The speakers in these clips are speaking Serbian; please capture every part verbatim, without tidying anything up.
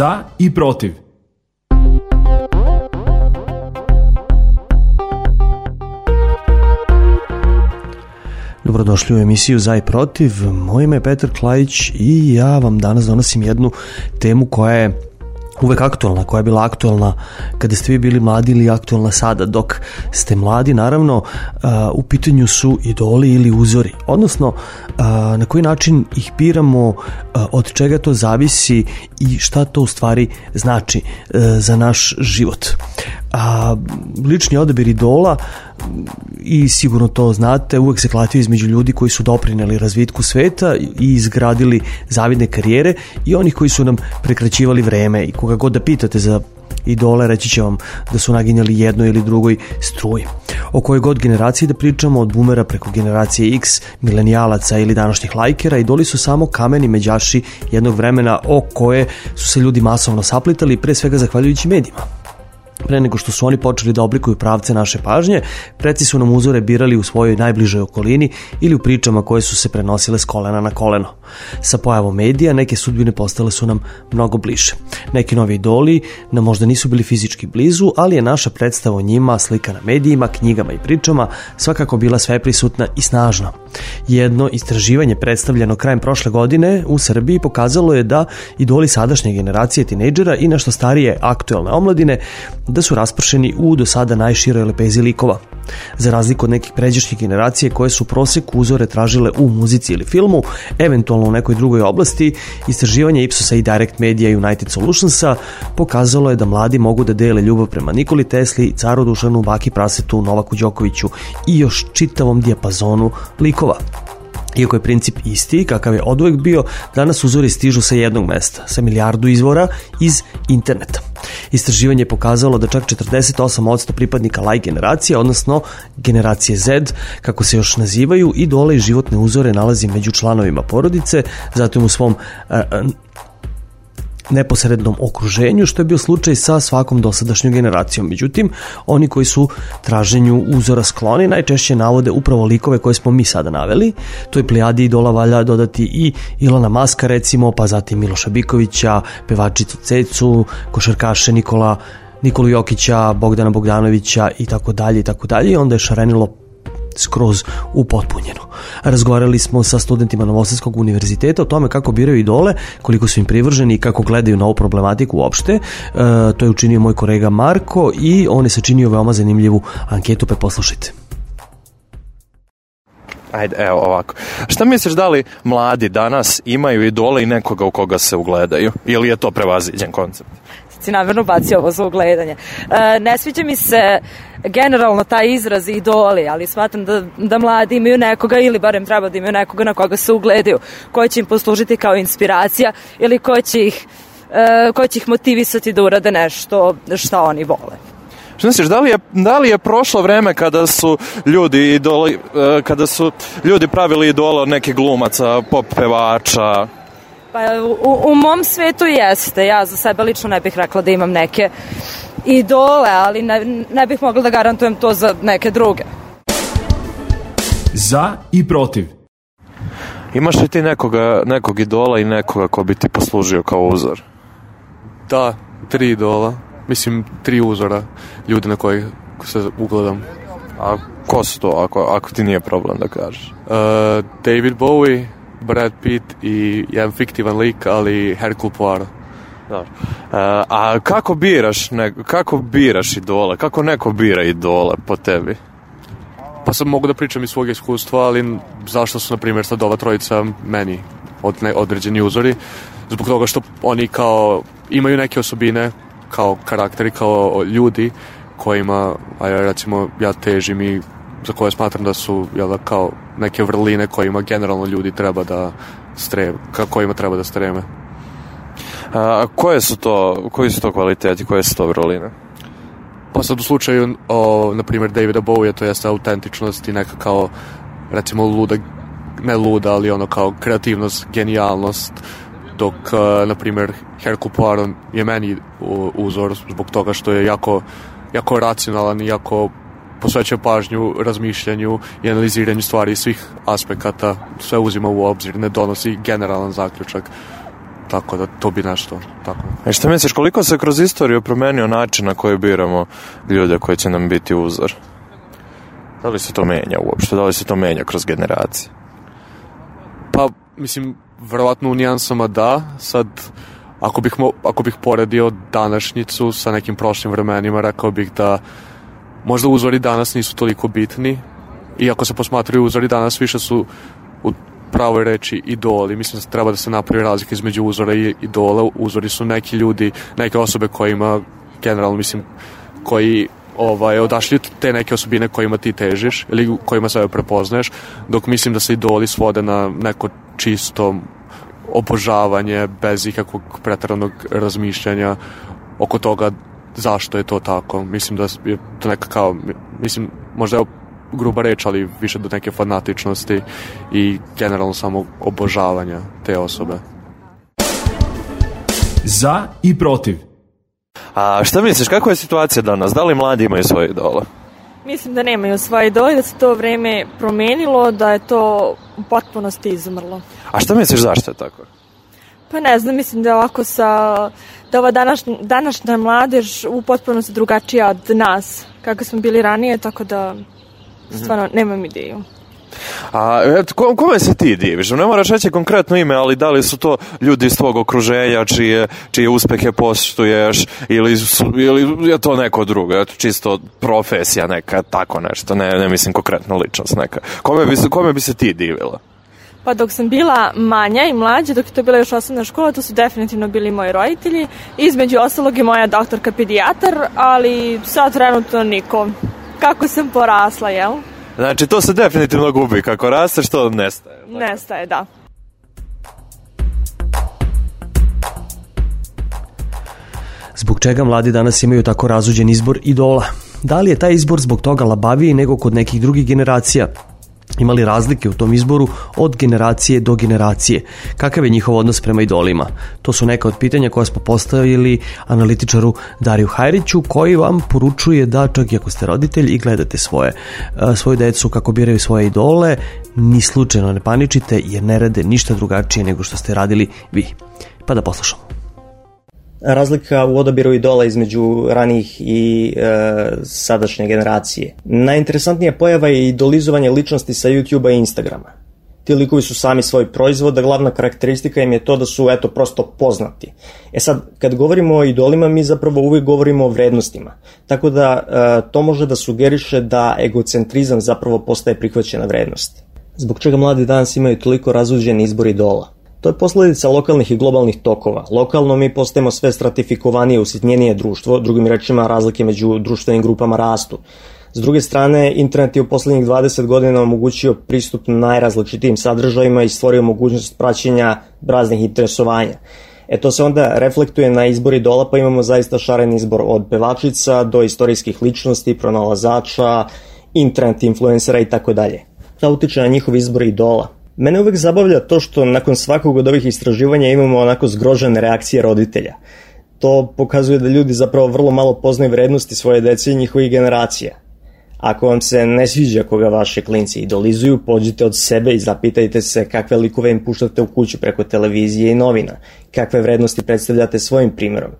Za i protiv. Dobrodošli u emisiju Za i protiv. Moje ime je Petar Klajić i ja vam danas donosim jednu temu koja je uvek aktualna, koja je bila aktualna kada ste vi bili mladi ili aktualna sada dok ste mladi. Naravno, uh, u pitanju su idoli ili uzori, odnosno uh, na koji način ih biramo, uh, od čega to zavisi i šta to u stvari znači uh, za naš život. A lični odabir idola, i sigurno to znate, uvek se klatio između ljudi koji su doprineli razvitku sveta i izgradili zavidne karijere i onih koji su nam prekraćivali vreme. I koga god da pitate za idole, reći će vam da su naginjali jednoj ili drugoj struji. O kojoj god generaciji da pričamo, od boomera preko generacije X, milenijalaca ili današnjih lajkera, idoli su samo kameni međaši jednog vremena o koje su se ljudi masovno saplitali, pre svega zahvaljujući medijima. Pre nego što su oni počeli da oblikuju pravce naše pažnje, preci su nam uzore birali u svojoj najbližoj okolini ili u pričama koje su se prenosile s kolena na koleno. Sa pojavom medija neke sudbine postale su nam mnogo bliže. Neki novi idoli nam možda nisu bili fizički blizu, ali je naša predstava o njima, slika na medijima, knjigama i pričama svakako bila sveprisutna i snažna. Jedno istraživanje predstavljeno krajem prošle godine u Srbiji pokazalo je da idoli sadašnje generacije tinejdžera i nešto starije aktuelne omladine da su raspršeni u do sada najširoj lepezi likova. Za razliku od nekih pređašnjih generacije koje su prosek uzore tražile u muzici ili filmu, eventualno u nekoj drugoj oblasti, istraživanje Ipsosa i Direct Media United Solutionsa pokazalo je da mladi mogu da dele ljubav prema Nikoli Tesli, Caru Dušanu, Baki Prasetu, Novaku Đokoviću i još čitavom dijapazonu likova. Iako je princip isti, kakav je oduvek bio, danas uzori stižu sa jednog mesta, sa milijardu izvora iz interneta. Istraživanje je pokazalo da čak četrdeset osam posto pripadnika like generacije, odnosno generacije Z, kako se još nazivaju, idole i životne uzore nalazi među članovima porodice, zatim u svom a, a, neposrednom okruženju, što je bio slučaj sa svakom dosadašnjom generacijom. Međutim, oni koji su traženju uzora skloni najčešće navode upravo likove koje smo mi sada naveli. To je plijadi idola valja dodati i Ilona Maska recimo, pa zatim Miloša Bikovića, pevačicu Cecu, košarkaše Nikola, Nikolu Jokića, Bogdana Bogdanovića i tako dalje i tako dalje. I onda je šarenilo skroz upotpunjeno. Razgovarali smo sa studentima Novosadskog univerziteta o tome kako biraju idole, koliko su im privrženi i kako gledaju na ovu problematiku uopšte. E, to je učinio moj kolega Marko i on je sačinio veoma zanimljivu anketu, pa poslušajte. Ajde, evo ovako. Šta misliš, da li mladi danas imaju idole i nekoga u koga se ugledaju? Ili je to prevaziđen koncept? Si namjerno bacio ovo za ugledanje. E, ne sviđa mi se generalno taj izraz idoli, ali shvatam da, da mladi imaju nekoga, ili barem treba da imaju nekoga na koga se ugledaju, koji će im poslužiti kao inspiracija ili koji će ih, e, koji će ih motivisati da urade nešto što oni vole. Što misliš, da li je, da li je prošlo vreme kada su ljudi idoli, kada su ljudi pravili idole od nekih glumaca, pop pevača? Pa u, u mom svetu jeste. Ja za sebe lično ne bih rekla da imam neke idole, ali ne, ne bih mogla da garantujem to za neke druge. Za i protiv. Imaš li ti nekoga, nekog idola i nekoga ko bi ti poslužio kao uzor? Da, tri idola. Mislim, tri uzora, ljudi na kojih se ugledam. A ko su to, ako, ako ti nije problem da kažeš? Uh, David Bowie, Brad Pitt i jedan fiktivan lik, ali Hercule Poirot. Dobro. Uh, a kako biraš, ne, kako biraš idole? Kako neko bira idole po tebi? Pa sad mogu da pričam iz svog iskustva, ali zašto su, na primjer, sad ova trojica meni od, ne, određeni uzori? Zbog toga što oni kao imaju neke osobine, kao karakteri, kao ljudi kojima, a ja recimo ja težim i za koje smatram da su, jel, kao neke vrline kojima generalno ljudi treba da streme, kojima treba da streme. A koje su to, koji su to kvaliteti, koje su to vrline? Pa sad u slučaju, o, na primjer, Davida Bowie, to jeste autentičnost i neka kao, recimo, luda, ne luda, ali ono kao kreativnost, genijalnost, dok, na primjer, Hercule Poirot je meni uzor zbog toga što je jako, jako racionalan i jako posvećuje pažnju razmišljanju i analiziranju stvari iz svih aspekata, sve uzima u obzir, ne donosi generalan zaključak. tako da to bi nešto tako. E šta misliš, koliko se kroz istoriju promenio način na koji biramo ljude koji će nam biti uzor? Da li se to menja uopšte? Da li se to menja kroz generacije? Pa, mislim, verovatno u nijansama da. Sad, ako bih, mo, ako bih poredio današnjicu sa nekim prošlim vremenima, rekao bih da možda uzori danas nisu toliko bitni, i ako se posmatraju uzori danas, više su u pravoj reči idoli. Mislim da treba da se napravi razlika između uzora i idola. Uzori su neki ljudi, neke osobe kojima, generalno mislim, koji ovaj, odašli te neke osobine kojima ti težiš ili kojima sebe prepoznaješ, dok mislim da se idoli svode na neko čisto obožavanje bez ikakvog preteranog razmišljanja oko toga zašto je to tako. Mislim da je to neka kao, mislim, možda je gruba reč, ali više do neke fanatičnosti i generalno samo obožavanja te osobe. Za i protiv. A šta misliš, kakva je situacija danas? Da li mladi imaju svoje idole? Mislim da nemaju svoje idole, da se to vreme promenilo, da je to u potpunosti izumrlo. A šta misliš, zašto je tako? Pa ne znam, mislim da ovako sa, da ova današnja, današnja mladež u potpunosti drugačija od nas, kako smo bili ranije, tako da stvarno nemam ideju. A eto, kome se ti diviš? Ne moraš reći konkretno ime, ali da li su to ljudi iz tvog okruženja čije, čije uspehe poštuješ, ili, su, ili je to neko drugo, eto, čisto profesija neka, tako nešto, ne, ne mislim konkretno ličnost neka. Kome bi, kome bi se ti divila? Pa dok sam bila manja i mlađa, dok je to bila još osnovna škola, to su definitivno bili moji roditelji. Između ostalog i moja doktorka pedijatar, ali sad trenutno niko. Kako sam porasla, jel? Znači, to se definitivno gubi. Kako rasteš, to nestaje. Tako? Nestaje, da. Zbog čega mladi danas imaju tako razuđen izbor idola? Da li je taj izbor zbog toga labaviji nego kod nekih drugih generacija? Ima li razlike u tom izboru od generacije do generacije? Kakav je njihov odnos prema idolima? To su neka od pitanja koja smo postavili analitičaru Dariju Hajriću, koji vam poručuje da čak i ako ste roditelj i gledate svoje, svoju decu kako biraju svoje idole, ni slučajno ne paničite jer ne rade ništa drugačije nego što ste radili vi. Pa da poslušamo. Razlika u odabiru idola između ranijih i e, sadašnje generacije. Najinteresantnija pojava je idolizovanje ličnosti sa YouTube-a i Instagrama. Ti likovi su sami svoj proizvod, a glavna karakteristika im je to da su, eto, prosto poznati. E sad, kad govorimo o idolima, mi zapravo uvijek govorimo o vrednostima. Tako da e, to može da sugeriše da egocentrizam zapravo postaje prihvaćena vrednost. Zbog čega mladi danas imaju toliko razuđen izbor idola? To je posljedica lokalnih i globalnih tokova. Lokalno mi postajemo sve stratifikovanije, usitnjenije društvo, drugim rečima razlike među društvenim grupama rastu. S druge strane, internet je u posljednjih dvadeset godina omogućio pristup najrazličitijim sadržajima i stvorio mogućnost praćenja raznih interesovanja. E to se onda reflektuje na izbor idola, pa imamo zaista šaren izbor od pevačica do istorijskih ličnosti, pronalazača, internet influencera i tako dalje. Da utiče na njihov izbor idola. Mene uvijek zabavlja to što nakon svakog od ovih istraživanja imamo onako zgrožene reakcije roditelja. To pokazuje da ljudi zapravo vrlo malo poznaju vrednosti svoje dece i njihovih generacija. Ako vam se ne sviđa koga vaše klinci idolizuju, pođite od sebe i zapitajte se kakve likove im puštate u kuću preko televizije i novina, kakve vrednosti predstavljate svojim primjerom.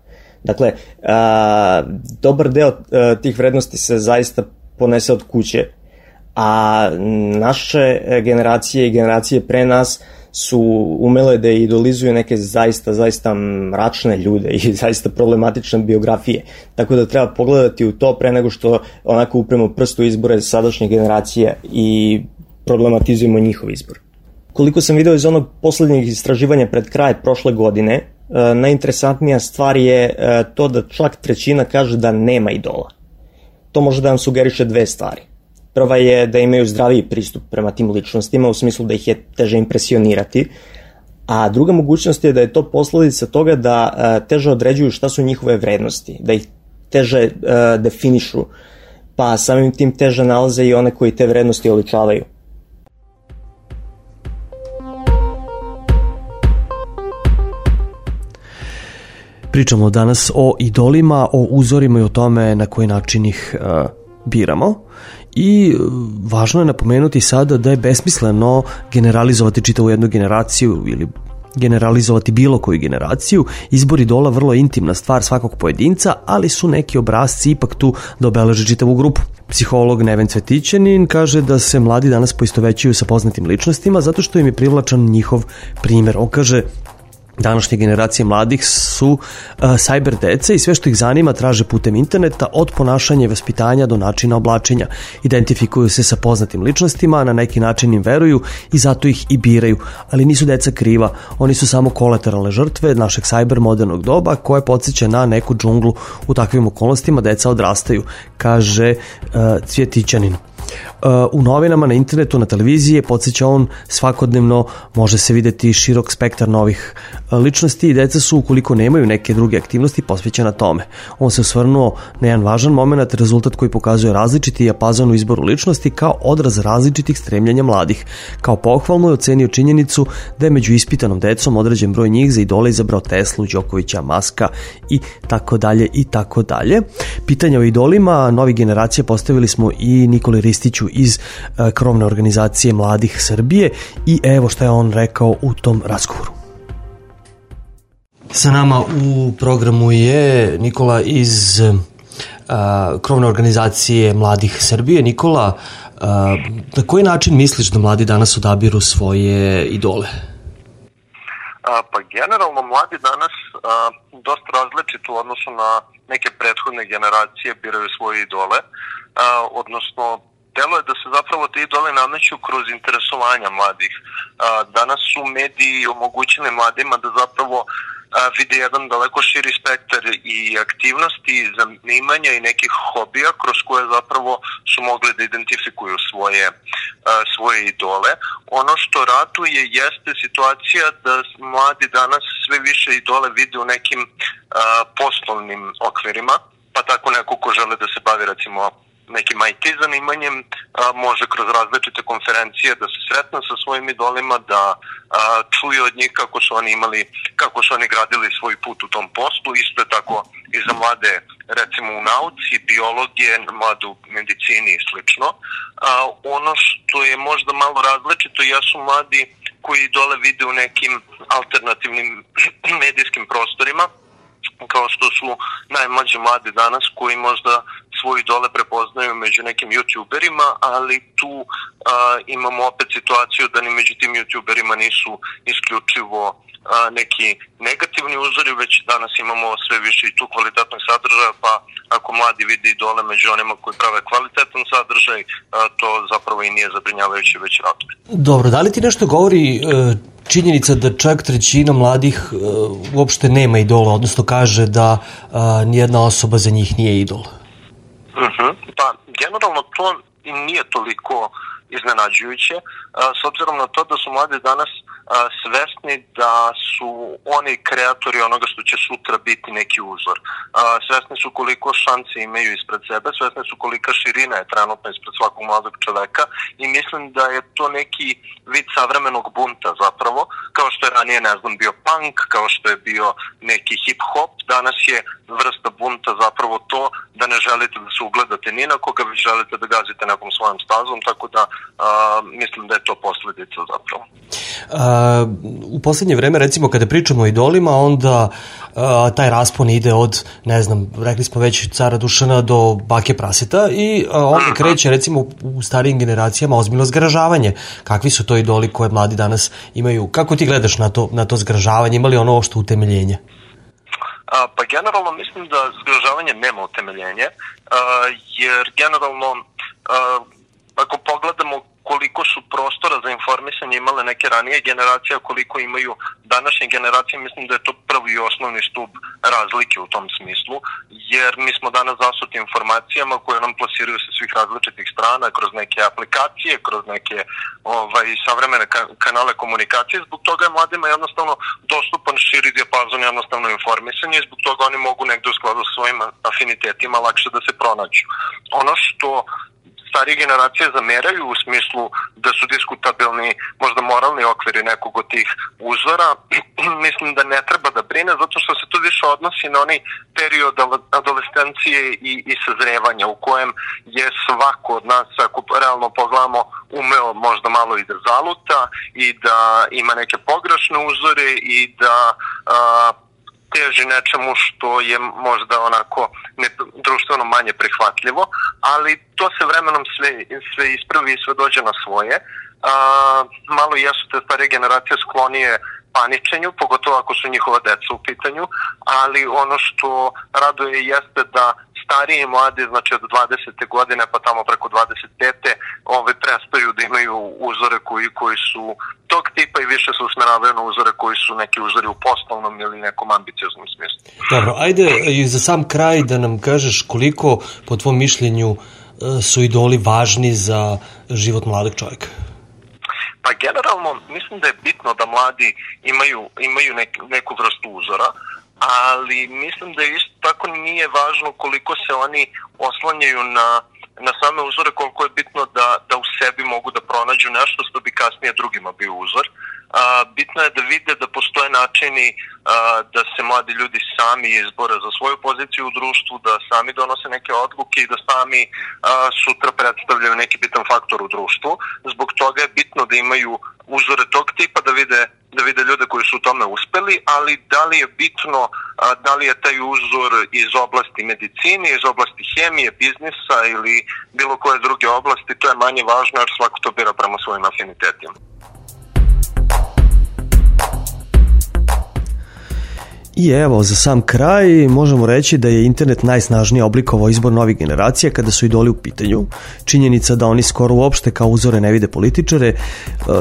Dakle, a, dobar deo a, tih vrednosti se zaista ponese od kuće, a naše generacije i generacije pre nas su umele da idolizuju neke zaista, zaista mračne ljude i zaista problematične biografije. Tako da treba pogledati u to pre nego što onako upremo prstu izbore sadašnje generacije i problematizujemo njihov izbor. Koliko sam video iz onog posljednjeg istraživanja pred kraj prošle godine, najinteresantnija stvar je to da čak trećina kaže da nema idola. To može da vam sugeriše dve stvari. Prva je da imaju zdraviji pristup prema tim ličnostima, u smislu da ih je teže impresionirati, a druga mogućnost je da je to posljedica toga da uh, teže određuju šta su njihove vrednosti, da ih teže uh, definišu, pa samim tim teže nalaze i one koji te vrednosti oličavaju. Pričamo danas o idolima, o uzorima i o tome na koji način ih uh, biramo. I važno je napomenuti sada da je besmisleno generalizovati čitavu jednu generaciju ili generalizovati bilo koju generaciju. Izbor idola vrlo intimna stvar svakog pojedinca, ali su neki obrasci ipak tu da obeleže čitavu grupu. Psiholog Neven Cvetićanin kaže da se mladi danas poistovećuju sa poznatim ličnostima zato što im je privlačan njihov primer. On kaže: današnje generacije mladih su uh, cyber dece i sve što ih zanima traže putem interneta, od ponašanja i vaspitanja do načina oblačenja. Identifikuju se sa poznatim ličnostima, na neki način im veruju i zato ih i biraju. Ali nisu deca kriva, oni su samo kolateralne žrtve našeg cyber modernog doba koje podsjeća na neku džunglu. U takvim okolnostima deca odrastaju, kaže uh, Cvjetićanin. U novinama, na internetu, na televiziji, podsjeća on, svakodnevno može se videti širok spektar novih ličnosti i deca su, ukoliko nemaju neke druge aktivnosti, posvećena tome. On se osvrnuo na jedan važan moment, rezultat koji pokazuje različiti japazon u izboru ličnosti kao odraz različitih stremljenja mladih. Kao pohvalno je ocenio činjenicu da je među ispitanom decom određen broj njih za idole izabrao Teslu, Đokovića, Maska i tako dalje i tako dalje. Pitanja o idolima novih generacija postavili smo i Nikoli Ristiću iz uh, krovne organizacije Mladih Srbije i evo što je on rekao u tom razgovoru. Sa nama u programu je Nikola iz uh, krovne organizacije Mladih Srbije. Nikola, uh, na koji način misliš da mladi danas odabiru svoje idole? A, pa generalno mladi danas a, dosta različito u odnosu na neke prethodne generacije biraju svoje idole, a, odnosno delo je da se zapravo te idole nameću kroz interesovanja mladih. A, danas su mediji omogućili mladima da zapravo a, vide jedan daleko širi spektar i aktivnosti, zanimanja i nekih hobija kroz koje zapravo su mogli da identifikuju svoje, a, svoje idole. Ono što ratuje jeste situacija da mladi danas sve više idole vide u nekim a, poslovnim okvirima, pa tako neko ko žele da se bavi recimo nekim I T zanimanjem, a, može kroz različite konferencije da se sretne sa svojim idolima, da a, čuje od njih kako su oni imali, kako su oni gradili svoj put u tom poslu. Isto je tako i za mlade, recimo u nauci, biologije, mlade u medicini i slično. A, ono što je možda malo različito jesu mladi koji idole vide u nekim alternativnim medijskim prostorima, kao što su najmlađi mladi danas koji možda svoje idole prepoznaju među nekim youtuberima, ali tu a, imamo opet situaciju da ni među tim youtuberima nisu isključivo a, neki negativni uzori, već danas imamo sve više i tu kvalitetnog sadržaja, pa ako mladi vide idole među onima koji prave kvalitetan sadržaj, a, to zapravo i nije zabrinjavajuće, već raduje. Dobro, da li ti nešto govori e, činjenica da čak trećina mladih e, uopšte nema idola, odnosno kaže da e, nijedna osoba za njih nije idol? Uh-huh. Pa, generalno to nije toliko iznenađujuće, s obzirom na to da su mladi danas svesni da su oni kreatori onoga što će sutra biti neki uzor. Svesni su koliko šanse imaju ispred sebe, svesni su kolika širina je trenutno ispred svakog mladog čoveka i mislim da je to neki vid savremenog bunta zapravo, kao što je ranije, ne znam, bio punk, kao što je bio neki hip-hop, danas je vrsta bunta zapravo to da ne želite da se ugledate ni na koga, već želite da gazite nekom svojom stazom, tako da a, mislim da je to posledica zapravo. A, u poslednje vreme, recimo, kada pričamo o idolima, onda a, taj raspon ide od, ne znam, rekli smo već cara Dušana do bake Praseta i a, onda kreće, recimo, u starijim generacijama ozbiljno zgražavanje. Kakvi su to idoli koje mladi danas imaju? Kako ti gledaš na to, na to zgražavanje? Ima li ono ovo što utemeljenje? A, pa generalno mislim da zgražavanje nema utemeljenje, a, jer generalno a, ako pogledamo koliko su prostora za informisanje imale neke ranije generacije, koliko imaju današnje generacije, mislim da je to prvi i osnovni stup razlike u tom smislu, jer mi smo danas zasuti informacijama koje nam plasiraju sa svih različitih strana, kroz neke aplikacije, kroz neke ovaj, savremene ka kanale komunikacije. Zbog toga je mladima jednostavno dostupan širi dijapazon jednostavno informisanje i zbog toga oni mogu negde u skladu sa svojim afinitetima lakše da se pronađu. Ono što starije generacije zameraju u smislu da su diskutabilni možda moralni okviri nekog od tih uzora, mislim da ne treba da brine, zato što se to više odnosi na onaj period adolescencije i, i sazrevanja u kojem je svako od nas, ako realno pogledamo, umeo možda malo i da zaluta i da ima neke pogrešne uzore i da a, teži nečemu što je možda onako ne, društveno manje prihvatljivo, ali to se vremenom sve, sve ispravi i sve dođe na svoje. A, malo jesu te stare generacije sklonije paničenju, pogotovo ako su njihova deca u pitanju, ali ono što raduje jeste da stariji i mladi, znači od dvadesete godine pa tamo preko dvadeset pete ove prestaju da imaju uzore koji, koji su tog tipa i više se usmeravaju na uzore koji su neki uzori u poslovnom ili nekom ambicioznom smislu. Dobro, ajde i za sam kraj da nam kažeš koliko po tvom mišljenju su idoli važni za život mladog čovjeka. Pa generalno mislim da je bitno da mladi imaju, imaju nek, neku vrstu uzora, ali mislim da isto tako nije važno koliko se oni oslanjaju na, na same uzore, koliko je bitno da, da u sebi mogu da pronađu nešto što bi kasnije drugima bio uzor. A, bitno je da vide da postoje načini a, da se mladi ljudi sami izbore za svoju poziciju u društvu, da sami donose neke odluke i da sami a, sutra predstavljaju neki bitan faktor u društvu. Zbog toga je bitno da imaju uzore tog tipa, da vide, da vide ljude koji su u tome uspeli, ali da li je bitno, a, da li je taj uzor iz oblasti medicine, iz oblasti hemije, biznisa ili bilo koje druge oblasti, to je manje važno jer svako to bira prema svojim afinitetima. I evo, za sam kraj možemo reći da je internet najsnažnije oblikovao izbor novih generacija kada su idoli u pitanju. Činjenica da oni skoro uopšte kao uzore ne vide političare,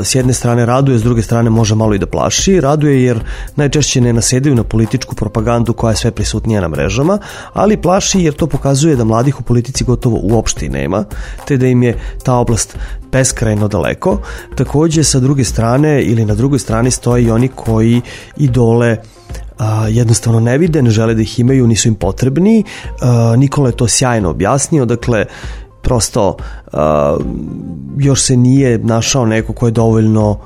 s jedne strane raduje, s druge strane može malo i da plaši. Raduje jer najčešće ne nasedaju na političku propagandu koja je sve prisutnija na mrežama, ali plaši jer to pokazuje da mladih u politici gotovo uopšte i nema, te da im je ta oblast beskrajno daleko. Takođe, sa druge strane ili na drugoj strani stoje i oni koji idole a, jednostavno ne vide, ne žele da ih imaju, nisu im potrebni. A, Nikola je to sjajno objasnio, dakle prosto a, još se nije našao neko ko je dovoljno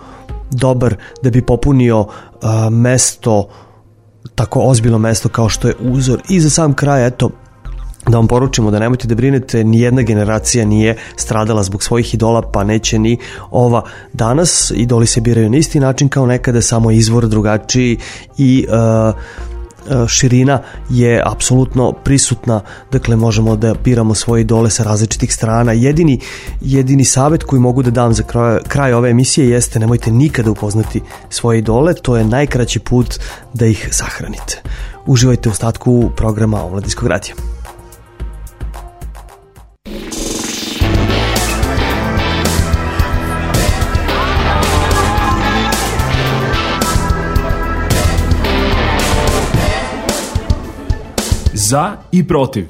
dobar da bi popunio a, mesto, tako ozbiljno mesto kao što je uzor. I za sam kraj, eto, da vam poručimo da nemojte da brinete, nijedna generacija nije stradala zbog svojih idola, pa neće ni ova danas. Idoli se biraju na isti način kao nekada, samo izvor drugačiji i uh, širina je apsolutno prisutna, dakle možemo da biramo svoje idole sa različitih strana. Jedini, jedini savjet koji mogu da dam za kraj, kraj ove emisije jeste nemojte nikada upoznati svoje idole, to je najkraći put da ih sahranite. Uživajte u ostatku programa Omladinskog radija. Za i protiv.